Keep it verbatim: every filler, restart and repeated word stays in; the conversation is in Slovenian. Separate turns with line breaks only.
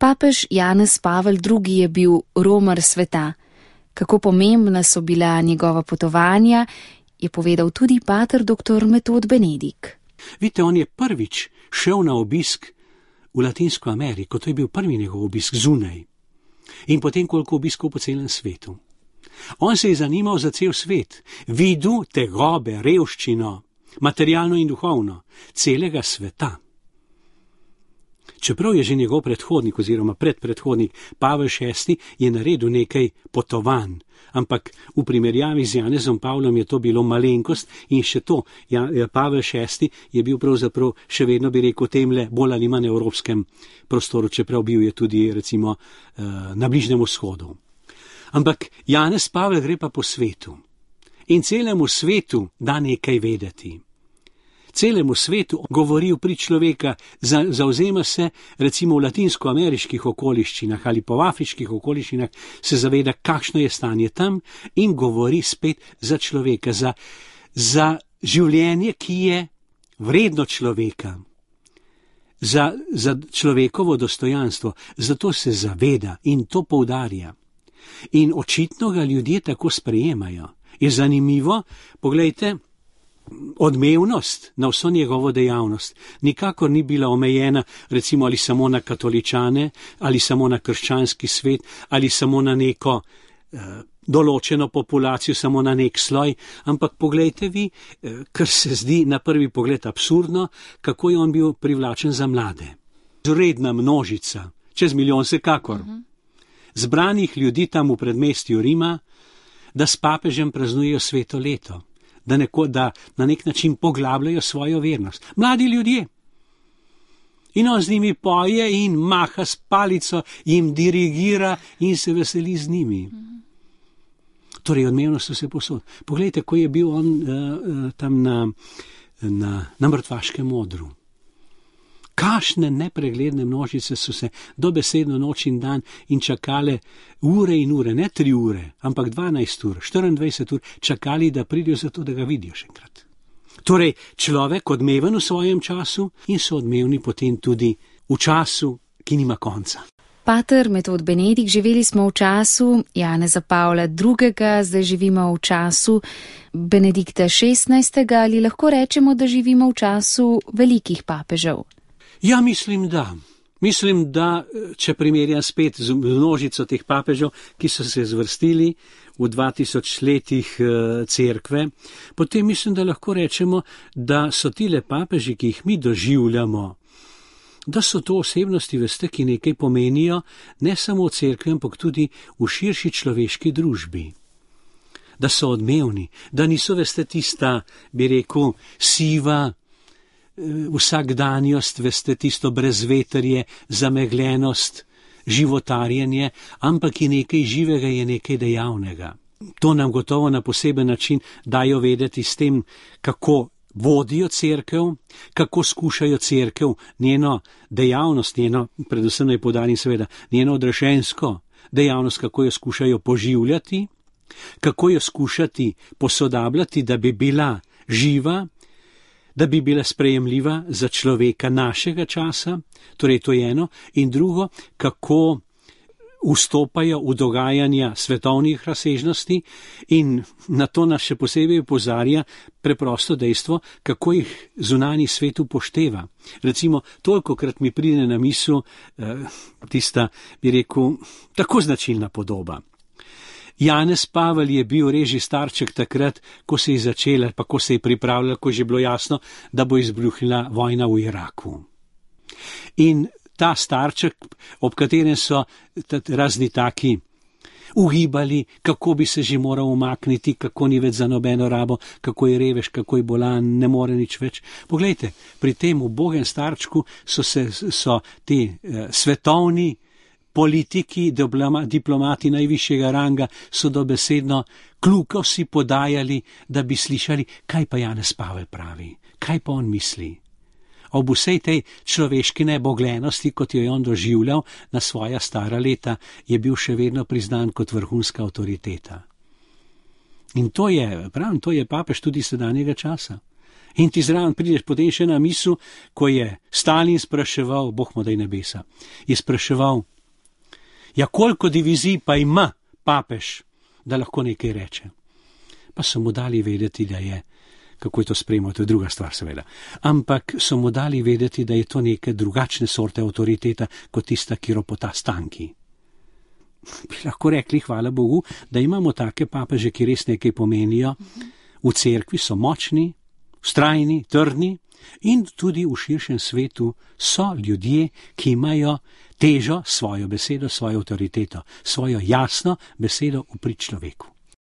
Papež Janez Pavel drugi. Je bil romar sveta. Kako pomembna so bila njegova potovanja, je povedal tudi pater doktor Metod Benedik.
Vidite, on je prvič šel na obisk v Latinsko Ameriko, to je bil prvi njegov obisk zunaj. In potem koliko obiskov po celem svetu. On se je zanimal za cel svet, videl tegobe, revščino, materialno in duhovno, celega sveta. Čeprav je že njegov predhodnik oziroma predpredhodnik Pavel šesti. Je naredil nekaj potovanj, ampak v primerjavi z Janezom Pavlom je to bilo malenkost in še to, ja, Pavel šesti. Je bil pravzaprav še vedno, bi rekel, temle bolj ali manj evropskem prostoru, čeprav bil je tudi recimo na Bližnjem vzhodu. Ampak Janez Pavel gre pa po svetu in celemu svetu da nekaj vedeti. Celemu svetu govori pri človeka, zauzema se recimo v latinsko-ameriških okoliščinah ali po afriških okoliščinah, se zaveda, kakšno je stanje tam in govori spet za človeka, za, za življenje, ki je vredno človeka, za, za človekovo dostojanstvo. Zato se zaveda in to poudarja. In očitno ga ljudje tako sprejemajo. Je zanimivo, poglejte, odmevnost na vso njegovo dejavnost nikakor ni bila omejena recimo ali samo na katoličane, ali samo na krščanski svet, ali samo na neko eh, določeno populacijo, samo na nek sloj, ampak poglejte vi, eh, kar se zdi na prvi pogled absurdno, kako je on bil privlačen za mlade. Zredna množica, čez milijon vsekakor, uh-huh. Zbranih ljudi tam v predmestju Rima, da s papežem praznujejo sveto leto. Da, neko, da na nek način poglabljajo svojo vernost. Mladi ljudje. In on z njimi poje in maha s palico, jim dirigira in se veseli z njimi. Torej, odmevnost vse posod. Poglejte, ko je bil on uh, uh, tam na, na, na mrtvaškem odru. Kašne nepregledne množice so se dobesedno noč in dan in čakale ure in ure, ne tri ure, ampak dvanajst ur, štiriindvajset ur, čakali, da pridejo zato, da ga vidijo še enkrat. Torej, človek odmeven v svojem času in so odmevni potem tudi v času, ki nima konca.
Pater Metod Benedik, živeli smo v času Janeza Pavla drugega. Zdaj živimo v času Benedikta šestnajstega. Ali lahko rečemo, da živimo v času velikih papežev?
Ja, mislim, da. Mislim, da, če primerjam spet z množico teh papežev, ki so se zvrstili v dva tisoč letih cerkve, potem mislim, da lahko rečemo, da so tile papeži, ki jih mi doživljamo, da so to osebnosti, veste, ki nekaj pomenijo, ne samo v cerkvi, ampak tudi v širši človeški družbi. Da so odmevni, da niso, veste, tista, bi rekel, siva, vsakdanjost, veste, tisto brezvetrje, zamegljenost, životarjenje, ampak je nekaj živega, je nekaj dejavnega. To nam gotovo na poseben način dajo vedeti s tem, kako vodijo cerkev, kako skušajo cerkev, njeno dejavnost, njeno, predvsem naj poudarim seveda, njeno odrešensko dejavnost, kako jo skušajo poživljati, kako jo skušati posodabljati, da bi bila živa, da bi bila sprejemljiva za človeka našega časa, torej to je eno, in drugo, kako vstopajo v dogajanja svetovnih razsežnosti in na to nas še posebej opozarja preprosto dejstvo, kako jih zunanji svet upošteva. Recimo, tolikokrat mi pride na misel eh, tista, bi rekel, tako značilna podoba. Janez Pavel je bil reži starček takrat, ko se je začela, pa ko se je pripravljala, ko je že bilo jasno, da bo izbruhnila vojna v Iraku. In ta starček, ob katerem so razni taki ugibali, kako bi se že moral umakniti, kako ni več za nobeno rabo, kako je revež, kako je bolan, ne more nič več. Poglejte, pri tem ubogem starčku so, se, so ti eh, svetovni politiki, diplomati najvišjega ranga so dobesedno kljuko si podajali, da bi slišali, kaj pa Janez Pavel pravi, kaj pa on misli. Ob vsej tej človeški nebogljenosti, kot jo je on doživljal na svoja stara leta, je bil še vedno priznan kot vrhunska avtoriteta. In to je, pravim, to je papež tudi sedanjega časa. In ti zraven prideš potem še na misel, ko je Stalin spraševal, Bog mu daj nebesa, je spraševal Ja, koliko divizij pa ima papež, da lahko nekaj reče. Pa so mu dali vedeti, da je, kako je to sprejemal, to je druga stvar seveda, ampak so mu dali vedeti, da je to neke drugačne sorte avtoriteta, kot tista, ki ropota stanki. Bi lahko rekli, hvala Bogu, da imamo take papeže, ki res nekaj pomenijo. V cerkvi so močni, vztrajni, trdni in tudi v širšem svetu so ljudje, ki imajo težo, svojo besedo, svojo avtoriteto, svojo jasno besedo v prid človeku.